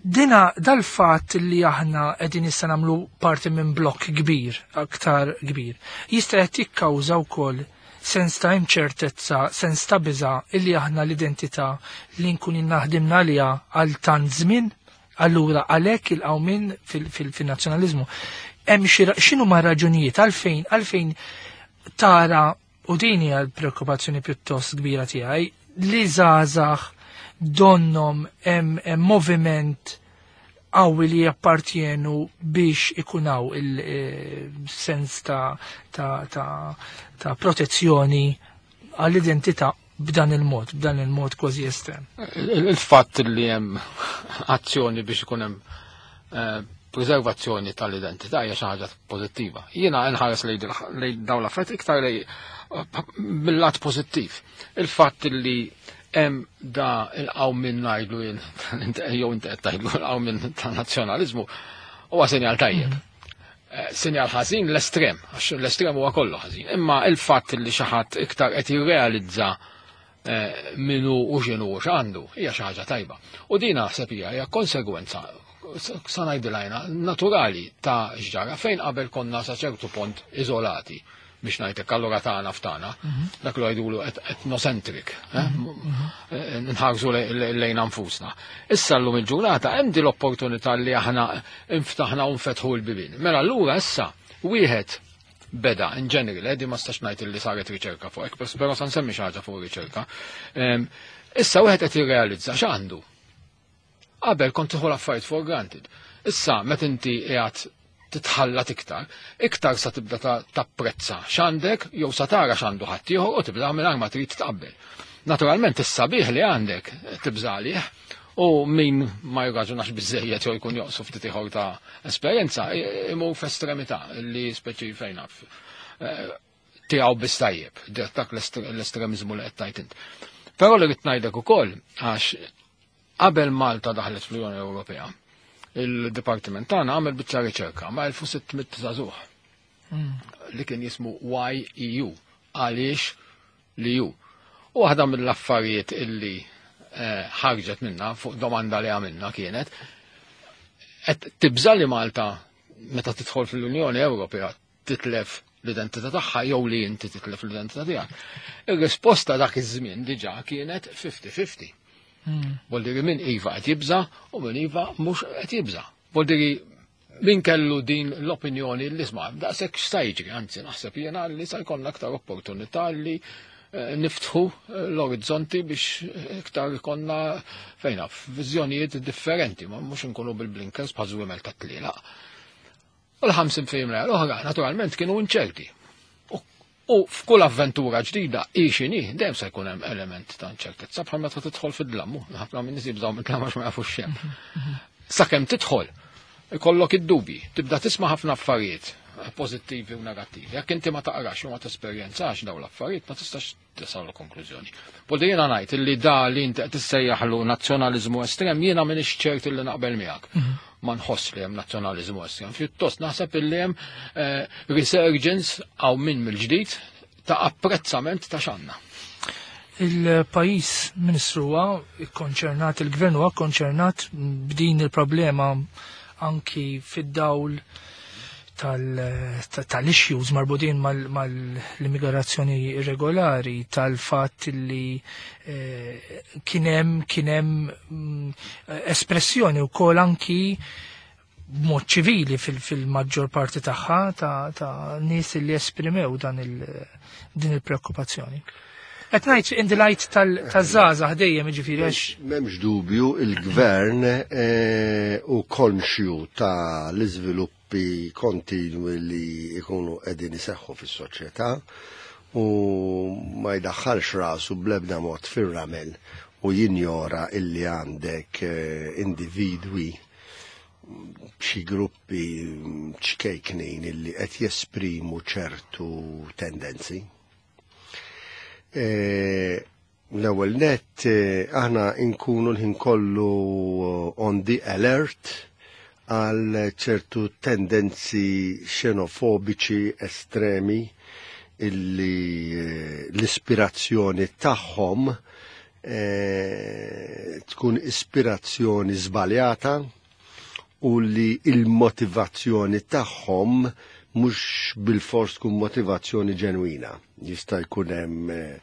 Speaker 1: dina dal-fatt li aħna qegħdin issa nagħmlu parti minn blokk kbir, aktar kbir, jista' qed jikkawża wkoll sens ta' inċertezza, sens ta' biża' illi aħna l-identità li nkun naħdimna għaliha għal tant żmien, allura għalhekk il-qawmin fil-nazzjonaliżmu. Hemm x'inhu ma' raġunijiet għalfejn għalfejn tara u din hija l-preokkupazzjoni pjuttost kbira tiegħi li żgħażagħ donnom hemm moviment qawwi li jappartjenu biex ikunaw il-sens ta', ta, ta, ta protezzjoni għall-identità b'dan il-mod, b'dan il-mod kważi estrem.
Speaker 3: Il-fatt li hemm azzjoni biex ikun hemm preservazzjoni tal-identità hija xi ħaġa pożittiva. Jiena nħares lejn dawn l-affarijiet iktar lej mill-lat pożittiv. Il-fatt li hemm da il-qawmin ngħidlu jien jew inti qed tgħidlu l-qawmin tan-nazzjonaliżmu huwa sinjal tajjeb. Sinjal ħażin l-estrem, għax l-estrem huwa kollu ħażin. Imma il-fatt li xi ħadd iktar qed jirrealizza minnu u x'inhu u x'għandu hija xi ħaġa tajba. U din naħseb hija hija konsegwenza sa ngħidilha naturali ta' x'ġara fejn qabel konna sa ċertu punt iżolati biex ngħidlek allura tagħna f'tagħna, dak li jgħidulu etnocentric, nħarsu lejn anfusna. Issa llum il-ġurnata hemm din l-opportunità li aħna inftaħna u nfetħu l-bibien. Mela allura issa wieħed beda in general, di ma stax ngħid li saret riċerka fuq hekk, però sa nsemmi xi ħaġa fuq riċerka. Issa wieħed qed jirrealizza x'għandu. Qabel kont tieħu l-affarijiet for granted. Issa meta inti qiegħed titħallat iktar, iktar sa tibda tapprezza x'għandek jew sa tara x'għandu ħaddieħor u tibda mingħajr ma trid tqabbel. Naturalment is-sabiħ li għandek tibża' għalih u min ma jirraġunax biżejjed jew jkun joqsu ftit ieħor ta' esperjenza imur f'estremità li speċi fejn naf tiegħu biss tajjeb, dak l-estremiżmu li qed tgħid int. Però li rrid ngħidlek ukoll għax qabel Malta daħlet fl-Unjoni Ewropea, il-Dipartiment tagħna għamel biċċa riċerka ma' elf u sitt mitt żagħżugħ li kien jismu Y E U, għaliex li ju. U waħda mill-affarijiet illi eh, ħarġet minna fuq domanda li għamilna kienet qed tibża li Malta meta tidħol fl-Unjoni Ewropea titlef l-identità tagħha jew li inti titlef l-identità tiegħek. Ir-risposta dak iż-żmien diġà kienet ħamsin ħamsin. Voldiri min iva qed jibża u min iva mhux qed jibża. Voldiri min kellu din l-opinjoni li isma' daqshekk x'sa jiġri, anzi naħseb jiena li sa jkollna aktar opportunità li eh, niftħu eh, l-orizzonti biex iktar konna fejna viżjonijiet differenti, ma mhux inkunu bil-blinkers bħal żwiemel ta' tlielaq. U l-ħamsin fil-mija l-oħra naturalment kienu inċerti. U- U f'kull avventura ġdida hi x'inhi, dejjem se jkun hemm element ta' inċertezza bħal meta tidħol fid-dlam, ħafna minn nies jibżgħu mid-dlam għax ma jafux x'hemm. Sakemm tidħol, ikollok id-dubji, tibda tisma' ħafna affarijiet pożittivi u negattivi. Jekk inti ma taqrax u ma tesperjenzax dawn l-affarijiet, ma tistax tasal konklużjoni. Poldi jiena ngħid illi da li inti qed tissejjaħlu nazzjonaliżmu estrem, jiena m'iniex ċert illi naqbel miegħek. Ma nħoss li hemm nazzjonaliżmu estrem. Pjuttost naħseb illi hemm eh, resurgence għaw minn mill-ġdid ta' apprezzament ta' x'għandna.
Speaker 1: Il-pajjiż, Ministru, huwa konċernat, il-gvern huwa konċernat b'din il-problema anki fid-dawl tal-issues marbutin mal-immigrazzjoni irregolari, tal-fatt li eh, kienem kienem mm, espressjoni u kol anki b'mod ċivili fil-maġġor parti tagħha ta' ta' nies li esprimew dan il din il-preokkupazzjoni. Qed ngħid in the light tal-żgħażagħ dejjem, jiġifieri għax
Speaker 2: M'hemmx dubju, il-gvern eh, u konxju ta' l-iżviluppi kontinwi li jkunu qegħdin iseħħu fis-soċjetà u ma jdaħħalx rasu bl-ebda mod fir-ramel u jinjora illi għandek eh, individwi, xi gruppi ċkejknin illi qed jesprimu ċertu tendenzi. E, L-ewwel net eh, aħna nkunu l-ħin kollu on the alert għal ċertu tendenzi xenofobiċi estremi illi eh, l-ispirazzjoni tagħhom eh, tkun ispirazzjoni żbaljata u li il-motivazzjoni tagħhom mhux bil-fors tkun motivazzjoni ġenwina. Jista' jkun hemm eh,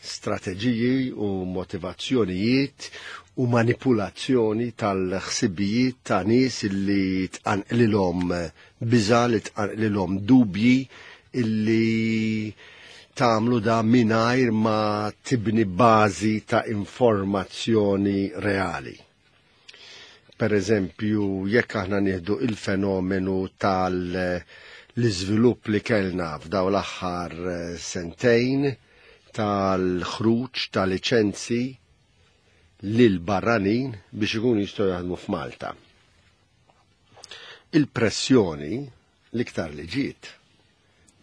Speaker 2: strateġiji u motivazzjonijiet u manipulazzjoni tal-ħsibijiet ta' nies illi tqanqlilhom biża, li tqanqlilhom dubji, illi tagħmlu da mingħajr ma tibni bażi ta' informazzjoni reali. Per eżempju, jekk aħna nieħdu il-fenomenu tal- l-iżvilupp li kellna f'daw l-aħħar eh, sentejn tal-ħruġ ta' liċenzi lil barranin biex ikunu jistgħu jaħdmu f'Malta. Il-pressjoni l-iktar li ġiet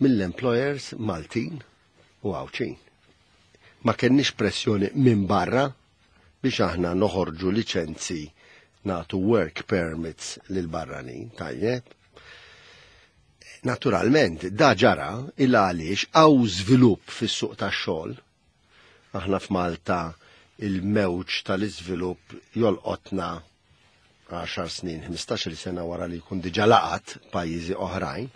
Speaker 2: mill-employers Maltin u Għawdxin. Ma kenniex pressjoni minn barra biex aħna noħorġu liċenzi, natu work permits lil barranin, tajjeb. Naturalment, da ġara illa għaliex hawn żvilupp fis-suq tax-xogħol. Aħna f'Malta il-mewġ tal-iżvilupp jolqotna għaxar snin, ħmistax-il sena wara li jkun diġà laqat pajjiżi oħrajn.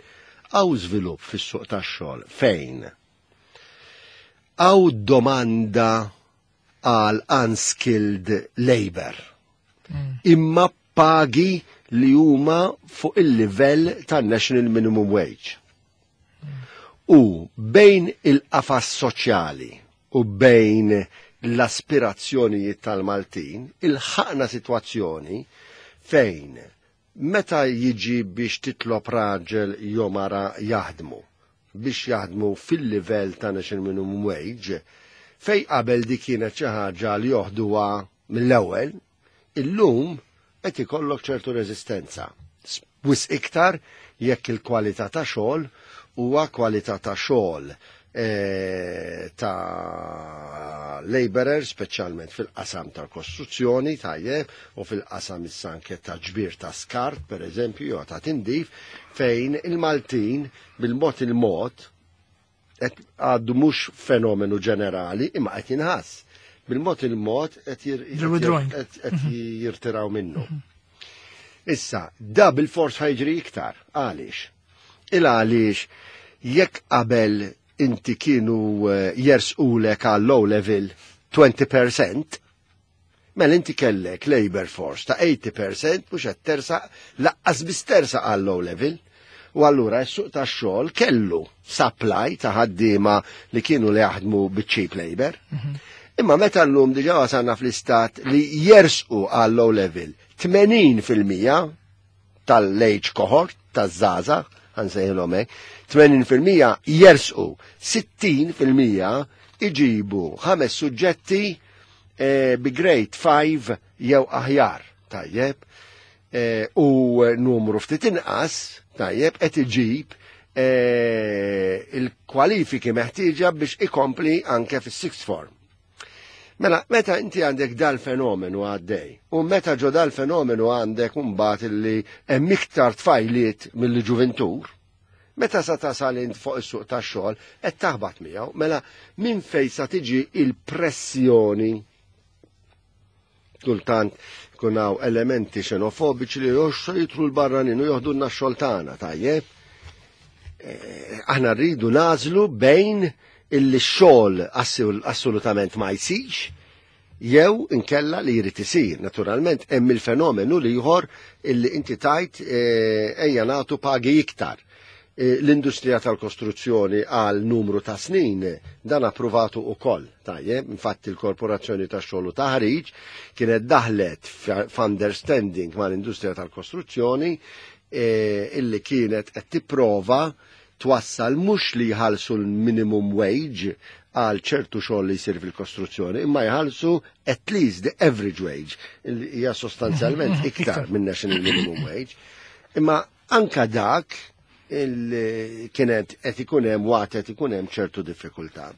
Speaker 2: Hawn żvilupp fis-suq tax-xogħol fejn hawn domanda għal unskilled labor. Imma pagi li huma fuq il-livell tan-national minimum wage. U bejn il-qafas soċjali u bejn l-aspirazzjonijiet tal-Maltin, ilħaqna situazzjoni fejn meta jiġi biex titlob raġel jew mara jaħdmu, biex jaħdmu fil-livell ta' national minimum wage, fej qabel di kienet xi ħaġa li joħduha mill-ewwel, illum qed ikollok ċertu reżistenza. Wisq iktar jekk il-kwalità ta' xogħol huwa kwalità ta' xogħol eh, ta' laborer, speċjalment fil-qasam tal-kostruzzjoni, tajjeb, u fil-qasam issa anke ta' ġbir ta' skart, per eżempju, jew ta' tindif, fejn il-Maltin bil-mod il-mod qed għaddu mhux fenomenu ġenerali, imma qed jinħass. Bil-mod il-mod qed jir-
Speaker 1: They're withdrawing.
Speaker 2: qed- qed jirtiraw minnu. Issa, da bil-fors ħa jiġri iktar. Għaliex? Il għaliex jekk qabel inti kienu eh, jersqulek għal low level twenty percent, mela inti kellek labor force ta' eighty percent mhux qed tersaq lanqas biss tersaq għal low level. U allura s-suq tax-xogħol kellu supply ta' ħaddiema li kienu li jaħdmu biċ-cheap labor. Imma meta llum diġà wasalna fl-istat li jersqu għal low level tmenin fil-mija tal-age cohort, taż-żgħażagħ, ħa nsejħilhom hekk, tmenin fil-mija jersqu, sittin fil-mija iġibu ħames suġġetti eh, bi grade five jew aħjar, tajjeb, eh, u numru ftit inqas, tajjeb, qed iġib eh, il-kwalifiki meħtieġa biex ikompli anke fis-sixth form. Mela, meta inti għandek dal-fenomenu għaddej, u meta ġo dal-fenomenu għandek mbagħad illi hemm iktar tfajliet mill ġuventur, meta sa tasal int fuq is-suq tax-xogħol qed taħbat miegħu, mela minn fejn sa tiġi il-pressjoni? Kultant kun hawn elementi xenofobiċi li jox jidħlu l-barranin u joħdulna x-xogħol tagħna, tajjeb. Eh, Aħna rridu nagħżlu bejn illi x-xogħol assolutament ma jsirx jew inkella li jrid isir. Naturalment hemm il-fenomenu li ieħor illi inti tajt eh, ejja nagħtu pagi iktar. Eh, L-industrija tal-kostruzzjoni għal numru ta' snin dan approvatu ukoll. Tajjeb, infatti l-Korporazzjoni tax-xogħol u taħriġ kienet daħlet f'understanding mal-industrija tal-kostruzzjoni eh, illi kienet qed tipprova twassal mhux li jħallsu l-minimum wage għal ċertu xogħol li jsir fil-kostruzzjoni, imma jħallsu at least the average wage, li hija sostanzjalment iktar minn national minimum wage. Imma anka dak il kienet qed ikun hemm waqt qed ikun hemm ċertu diffikultà.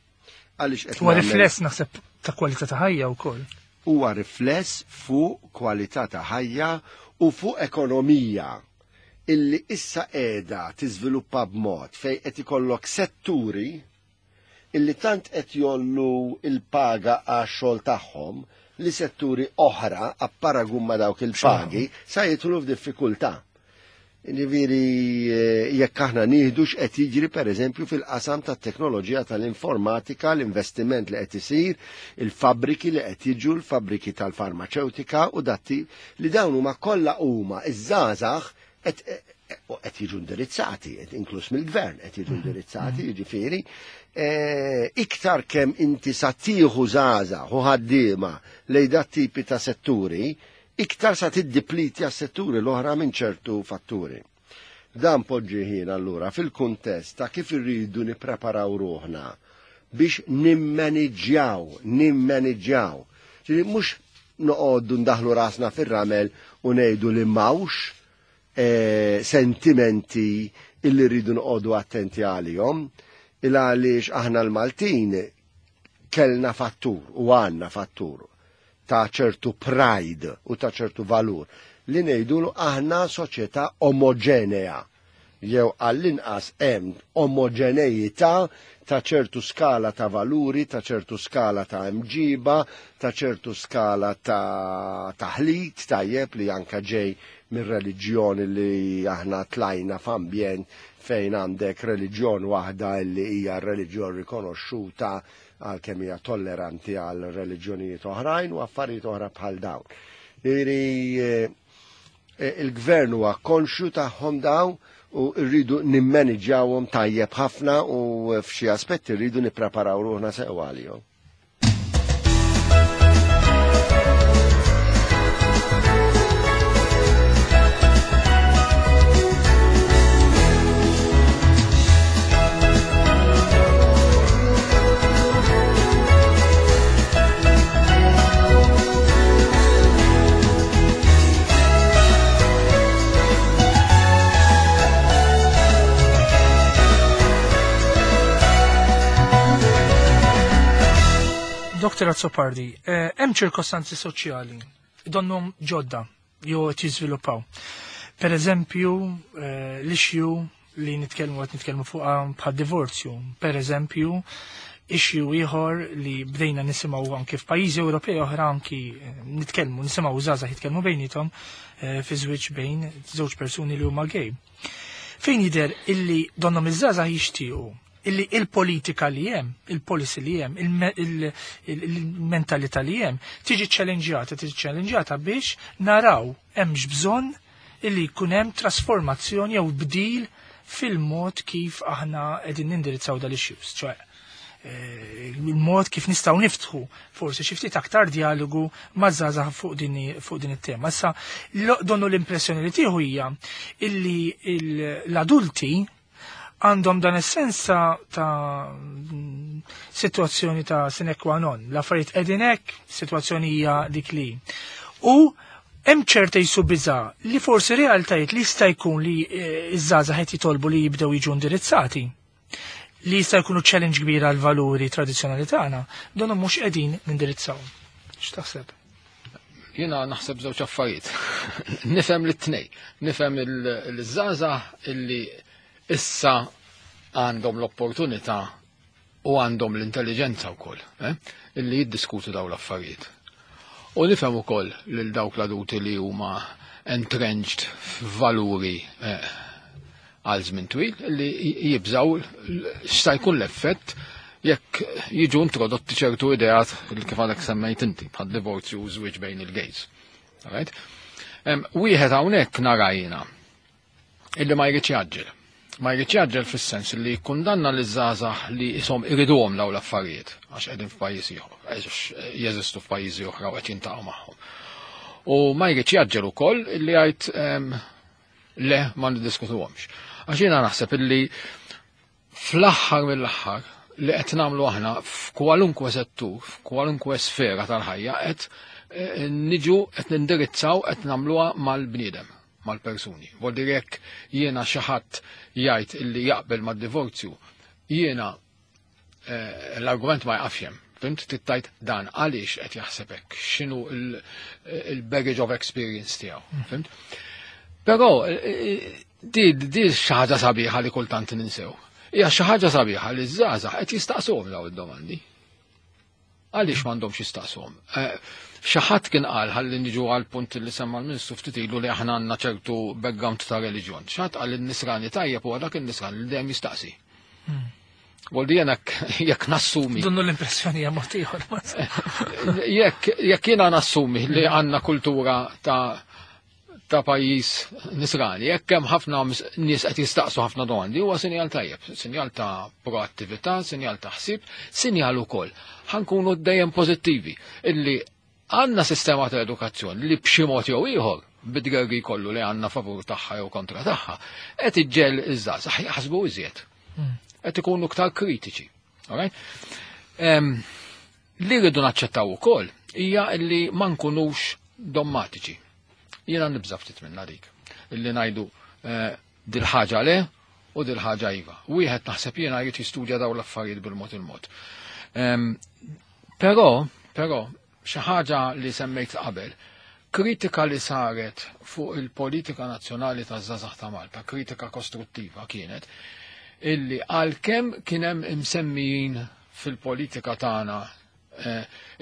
Speaker 2: Għaliex qed
Speaker 1: Huwa
Speaker 2: nagħmel-
Speaker 1: rifless naħseb ta' kwalità ta' ħajja wkoll.
Speaker 2: Huwa rifless fuq kwalità ta' ħajja u fuq ekonomija illi issa qiegħda tiżviluppa b'mod fejn qed ikollok setturi illi tant qed jgħollu il-paga għax-xogħol tagħhom li setturi oħra apparagun ma' dawk il-pagi sa jidħlu f'diffikultà. Ġifieri eh, jekk aħna nieħdu x'qed jiġri, pereżempju, fil-qasam tat-teknoloġija tal-informatika, l-investiment li qed isir, il-fabbriki li qed jiġu, l-fabbriki tal-farmaceutika u datti li dawn huma kollha huma iż-żgħażagħ qed qed jiġu indirizzati, qed inkluż mill-gvern qed jiġu indirizzati, jiġifieri eh, iktar kemm inti sa tieħu żgħażagħ u ħaddiema lejn dat tipi ta' setturi, iktar sa tiddipliti għas-setturi l-oħra minn ċertu fatturi. Dan poġġi ħin allura fil-kuntest ta' kif irridu nippreparaw ruħna biex nimmaniġġjaw, nimmaniġġjaw. Ġifieri mhux noqogħdu ndaħlu rasna fir-ramel u ngħidu li m'hawnx eh, sentimenti illi rridu noqogħdu attenti għalihom, il għaliex aħna l-Maltin kellna fattur u għandna fattur ta' ċertu pride u ta' ċertu valur li ngħidulu aħna soċjetà omogenea jew għall-inqas hemm omogeneità ta' ċertu skala ta' valuri, ta' ċertu skala ta' mġiba, ta' ċertu skala ta' taħlit, tajjeb, li anka ġej mir reliġjoni li aħna tlajna f'ambjent fejn għandek reliġjon waħda li hija reliġjon rikonoxxuta għal kemm hija tolleranti għal reliġjonijiet oħrajn u affarijiet oħra bħal dawn. Iri eh, il-gvern huwa konxju tagħhom dawn u rridu nimmaniġjawhom tajjeb ħafna u f'xi aspetti rridu nippreparaw ruħna sew għalihom.
Speaker 1: Doktor Azzopardi, hemm ċirkostanzi soċjali donnhom ġodda jew qed jiżviluppaw. Per eżempju, l-issue li nitkellmu qed nitkellmu fuqha bħad divorzju. Per eżempju, issue ieħor li bdejna nisimgħu anki f'pajjiżi Ewropej oħra anki nitkellmu nisimgħu żgħażagħ jitkellmu bejniethom fi żwieġ bejn żewġ persuni li huma gay. Fejn jidher illi donnhom iż-żgħażagħ jixtiequ illi il-politika li hemm, il-policy li hemm, il-mentalità li hemm, tiġi ċċellenġjata, tiġi ċċellenġjata biex naraw hemmx bżonn illi jkun hemm trasformazzjoni jew bdil fil-mod kif aħna qegħdin nindirizzaw dal-issues, ċoè il-mod kif nistgħu niftħu forsi xi ftit aktar dialogu maż-żgħażagħ fuq din fuq din it-tema. Issa donnu l-impressjoni li tieħu hija illi l-adulti għandhom dan is-sens ta' situazzjoni ta' sine qua non. L-affarijiet qegħdin hekk, sitwazzjoni hija dik li. U hemm ċerta jisu biża' li forsi realtajiet li jista' jkun li ż-żgħażagħ qed jitolbu li jibdew jiġu indirizzati, li jista' jkunu challenge kbira għal valuri tradizzjonali tagħna, dan mhux qegħdin nindirizzaw. X'taħseb?
Speaker 3: Jiena naħseb żewġ affarijiet. Nifhem lit-tnejn. Nifhem il-żgħażagħ illi issa għandhom l-opportunità u għandhom l-intelligenza wkoll, eh? illi jiddiskutu dawn l-affarijiet. U nifhem ukoll lil dawk l-adulti li huma entrenched f'valuri eh, għal żmien twil li jibżaw x'sa jkun l-effett jekk jiġu introdotti ċertu ideat li kif għadek semmejt inti bħal divorzju u żwieġ bejn il-gays. Right? Wieħed hawnhekk nara jiena illi ma jridx jaġġel. Ma jridx jaġġel fis-sens li jikkundanna liż-żgħażagħ li ishom iriduhom dawn l-affarijiet għax qegħdin f'pajjiż ieħor, għax jeżistu f'pajjiżi oħra u qed jintaqgħu magħhom. U ma jridx jaġġel ukoll illi jgħid le ma niddiskutuhomx. Għax jiena naħseb illi fl-aħħar mill-aħħar li qed nagħmlu aħna f'kwalunkwe settur, f'kwalunkwe sfera tal-ħajja qed niġu qed nindirizzaw qed nagħmluha mal-bniedem, mal-persuni. Vol dire jekk jiena xi ħadd jgħid illi jaqbel mad-divorzju, jiena l-argument ma jaqafx hemm. Fimt tittajt dan għaliex qed jaħseb hekk, x'inhu il-baggage of experience tiegħu, fimt? Però di di xi ħaġa sabiħa li kultant ninsew. Hija xi ħaġa sabiħa li ż-żgħażagħ qed jistaqsuhom dawn id-domandi. Għaliex m'għandhomx jistaqsuhom? Xi ħadd kien qal ħalli niġu għal punt li semma l-Ministru ftit ilu li aħna għandna ċertu background ta' reliġjon. Xi ħadd qal in-nisrani tajjeb huwa dak in-nisrani li dejjem jistaqsi. Vol di jena jekk nassumi.
Speaker 1: Donnu l-impressjoni hija mod ieħor.
Speaker 3: Jekk jekk jiena nassumi li għandna kultura ta' ta' pajjiż nisrani, jekk hemm ħafna nies qed jistaqsu ħafna domandi, huwa sinjal tajjeb, sinjal ta' proattività, sinjal ta' ħsieb, sinjal ukoll. Ħankunu dejjem pożittivi illi għandna sistema ta' edukazzjoni li b'xi mod jew ieħor bidgergi kollu li għandna favur tagħha jew kontra tagħha, qed iġġel iż-żgħażagħ jaħsbu iżjed. Qed ikunu iktar kritiċi. Alright? Li rridu naċċettaw ukoll hija li ma nkunux dommatiċi. Jiena nibża' ftit minna dik. Illi ngħidu dil-ħaġa le u dil-ħaġa iva. Wieħed naħseb jiena jrid jistudja dawn l-affarijiet bil-mod il-mod. Però, però, xi ħaġa li semmejt qabel, kritika li saret fuq il-politika nazzjonali taż-żgħażagħ ta' Malta, kritika kostruttiva kienet, illi għalkemm kien hemm imsemmijin fil-politika tagħna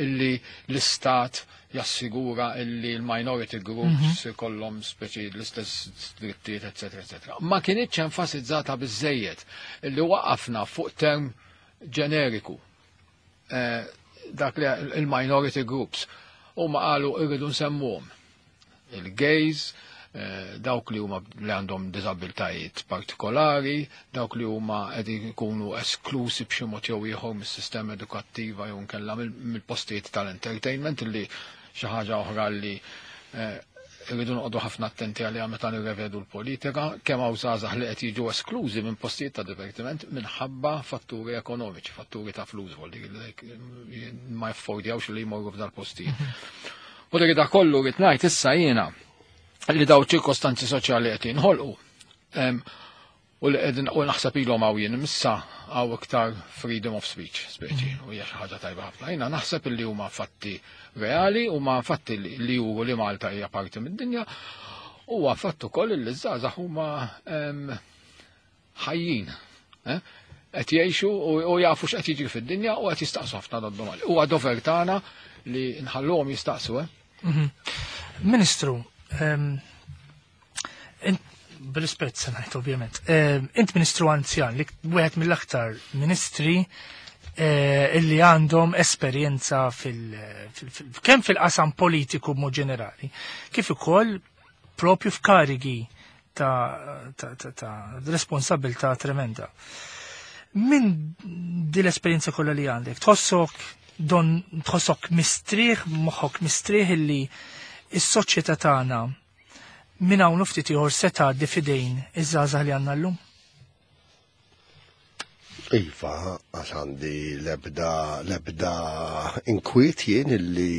Speaker 3: illi l-istat jassigura illi l-minority groups kollhom speċi l-istess drittijiet, eccetera, eccetera. Ma kienitx enfasizzata biżejjed illi waqafna fuq term ġeneriku dak li il-minority groups u ma qalu irridu nsemmuhom il-gays, dawk li huma li għandhom diżabiltajiet partikolari, dawk li huma qegħdin ikunu esklusi b'xi mod jew ieħor mis-sistema edukattiva jew nkella mill-postijiet tal-entertainment li xi ħaġa oħra li irridu noqogħdu ħafna attenti għaliha meta nirrevedu l-politika, kemm hawn żgħażagħ li qed jiġu esklużi minn postijiet ta' divertiment minħabba fatturi ekonomiċi, fatturi ta' flus, vol li ma jaffordjawx li jmorru f'dal-postijiet. U dik da kollu rrid ngħid issa jiena li daw ċirkostanzi soċjali qed jinħolqu. U li qegħdin u naħseb ilhom hawn jien issa hawn iktar freedom of speech, speċi, u hija xi ħaġa tajba ħafna. Jiena naħseb illi huma fatti reali, huma fatti li juru li Malta hija parti mid-dinja, huwa fatt ukoll li ż-żgħażagħ huma ħajjin. Eh? Qed jgħixu u jafu x'qed jiġri fid-dinja u qed jistaqsu ħafna domandi. Huwa dover tagħna li nħalluhom jistaqsu, eh?
Speaker 1: Mhm. Ministru, b'rispett se ngħid ovvjament. Int ministru anzjan li wieħed mill-aktar ministri eh, illi għandhom esperjenza fil, kemm fil-qasam politiku b'mod ġenerali, kif ukoll propju f'karigi ta', ta, ta, ta responsabilità tremenda. Min di l-esperjenza kollha li għandek, tħossok don tħossok mistrieħ, moħħok mistrieħ illi is-soċjetà tagħna minn hawn ftit ieħor se tgħaddi f'idejn iż-żgħażagħ li għandna llum?
Speaker 2: Iva, għax għandi lebda, lebda inkwiet jien illi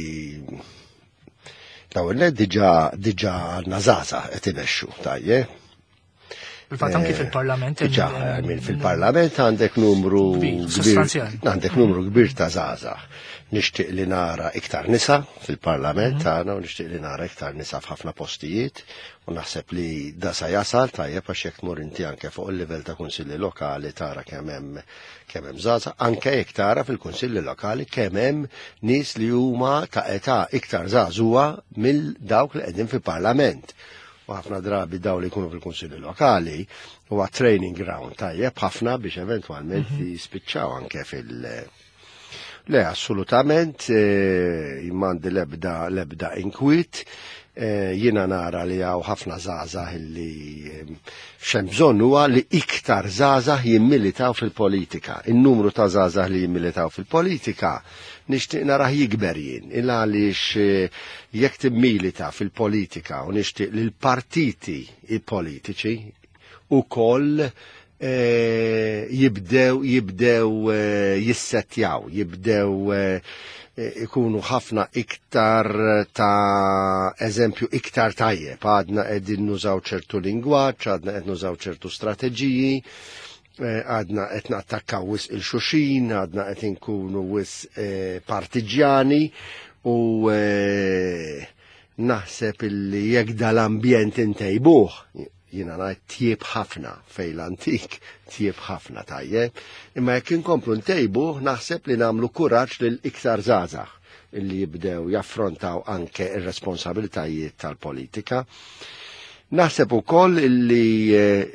Speaker 2: l-ewwel diġà diġà għandna żgħażagħ qed imexxu, tajjeb.
Speaker 1: Fil-fatt anki fil-Parlament.
Speaker 2: Diġà, fil-Parlament għandek numru
Speaker 1: sostanzjali.
Speaker 2: Għandek numru kbir ta' żgħażagħ. Nixtieq li nara iktar nisa fil-Parlament mhm. tagħna u nixtieq li nara iktar nisa f'ħafna postijiet u naħseb li da sa jasal tajjeb għax jekk tmur inti anke fuq il-livell ta' kunsilli lokali tara kemm hemm kemm hemm żgħażagħ, anke jekk tara fil-kunsilli lokali kemm hemm nies li huma ta' età iktar żagħżugħa mill dawk li qegħdin fil-Parlament. U ħafna drabi daw li jkunu fil-kunsilli lokali huwa training ground tajjeb ħafna biex eventwalment mhm. jispiċċaw anke fil- Le, assolutament, eh, m'għandi lebda, lebda inkwiet, eh, jiena nara li hawn ħafna żgħażagħ illi eh, x'hemm bżonn huwa li iktar żgħażagħ jimmilitaw fil-politika. In-numru ta' żgħażagħ li jimmilitaw fil-politika nixtieq narah jikber jien, illa għaliex jekk timmilita fil-politika u nixtieq li l-partiti politiċi ukoll Eh, jibdew jibdew eh, jissettjaw, jibdew eh, ikunu ħafna iktar ta' eżempju iktar tajjeb, għadna qegħdin nużaw ċertu lingwaġġ, għadna qed nużaw ċertu strateġiji, għadna qed nattakkaw wisq 'il xulxin, għadna qed inkunu wisq partiġjani u naħseb illi jekk dal-ambjent intejbuh, jiena ngħid tjieb ħafna fej l-antik, tjieb ħafna tajjeb, imma jekk inkomplu ntejbu naħseb li nagħmlu kuraġġ lil iktar żgħażagħ illi jibdew jaffrontaw anke ir-responsabilitajiet tal-politika. Naħseb ukoll illi eh,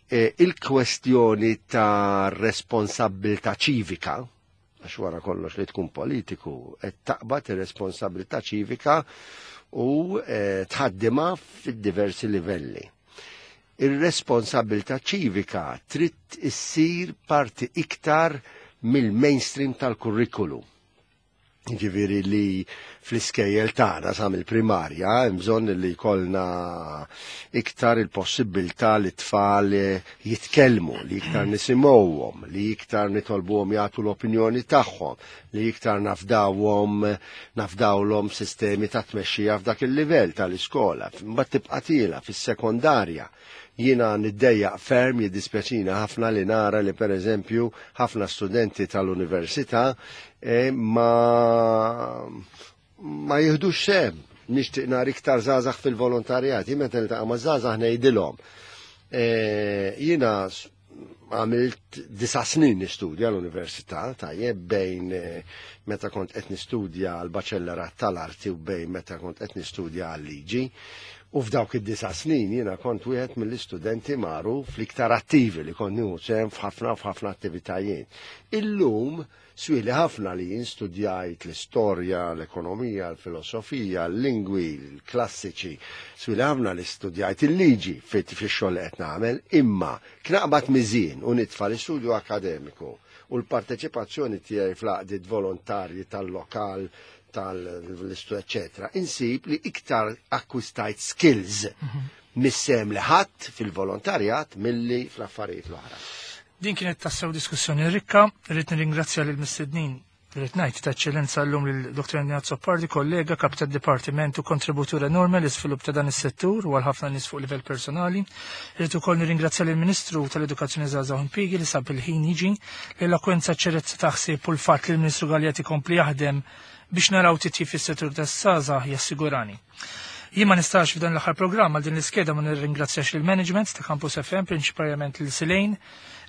Speaker 2: eh, il-kwestjoni ta' responsabilità ċivika, għax wara kollox li tkun politiku, qed taqbad ir-responsabilità ċivika u eh, tħaddimha fid-diversi livelli. Ir-responsabilità ċivika trid issir parti iktar mill-mainstream tal-kurrikulu. Ġifieri li fl-iskejjel tagħna sa mill-primarja hemm bżonn li jkollna iktar il-possibilità li tfal jitkellmu, li iktar nisimgħuhom, li iktar nitolbuhom jagħtu l-opinjoni tagħhom, li iktar nafdawhom nafdawlhom sistemi ta' tmexxija f'dak il-livell tal-iskola. Mbagħad tibqa' tiela fis-sekondarja. Jiena niddejjaq ferm, jiddispjaċina ħafna li nara li per eżempju ħafna studenti tal-università eh, ma ma jihdux sehem. Nixtieq nara iktar żgħażagħ fil-volontarjat. Jien meta niltaqa' ma' żgħażagħ ngħidilhom. Eh, jiena għamilt disa snin nistudja l-università, tajjeb bejn eh, meta kont qed nistudja l-baċellerat tal-arti u bejn meta kont qed nistudja għal-liġi. U f'dawk id-disa snin jiena kont wieħed mill-istudenti magħruf l-iktar attivi li kont nieħu sehem f'ħafna f'ħafna attivitajiet. Illum swieli ħafna li jien studjajt l-istorja, l-ekonomija, l-filosofija, l-lingwi, l-klassiċi, swieli ħafna li studjajt il-liġi fix-xogħol li qed nagħmel, imma knaqbad miżien u nitfa' l-istudju akademiku u l-parteċipazzjoni tiegħi fl-għaqdiet volontarji tal-lokal, tal-istu, eccetera, insib li iktar akkwistajt skills mis-sehem li ħadd fil-volontarjat milli fl-affarijiet l-oħra.
Speaker 1: Din kienet tassew diskussjoni rikka, rrid nirringrazzja lil mistednin Rrid ngħid ta' eċċellenza llum lil Dr. Andy Azzopardi, kollega, kap tad-dipartiment u kontributur enormi l-iżvilupp ta' dan is-settur u għal ħafna nies fuq livell personali. Rrid ukoll nirringrazzja lill-Ministru tal-Edukazzjoni Żgħażagħ u Impjiegi li sab il-ħin jiġi, l-elokwenza ċerezza ta' ħsieb u l-fatt li l-Ministru Galea ikompli jaħdem biex naraw titjib fis-settur tas-żgħażagħ jassigurani. Jien ma nistax f'dan l-aħħar programm għal din l-iskeda ma nirringrazzjax lill-management ta' Campus FM, prinċipalment lil Silejn,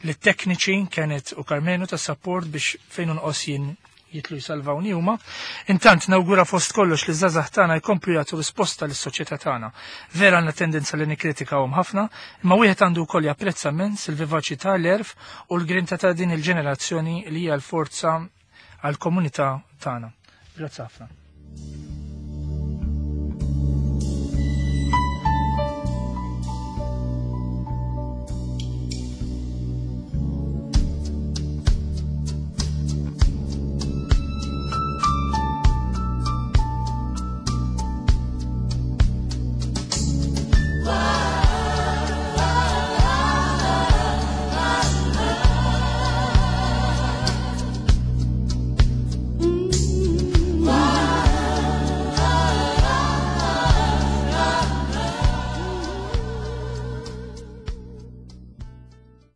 Speaker 1: lit-tekniċi Kenneth u Carmenu tas-support biex fejn nqos jien jitlu jsalvawni huma. Intant nawgura fost kollox li żgħażagħ tagħna jkomplu jagħtu risposta lis-soċjetà tagħna. Vera għandna tendenza li nikkritikawhom ħafna, imma wieħed għandu wkoll japprezza immens il-vivaċità, l-għerf u l-grinta ta' din il-ġenerazzjoni li hija l-forza għall-komunità tagħna. Grazzi ħafna.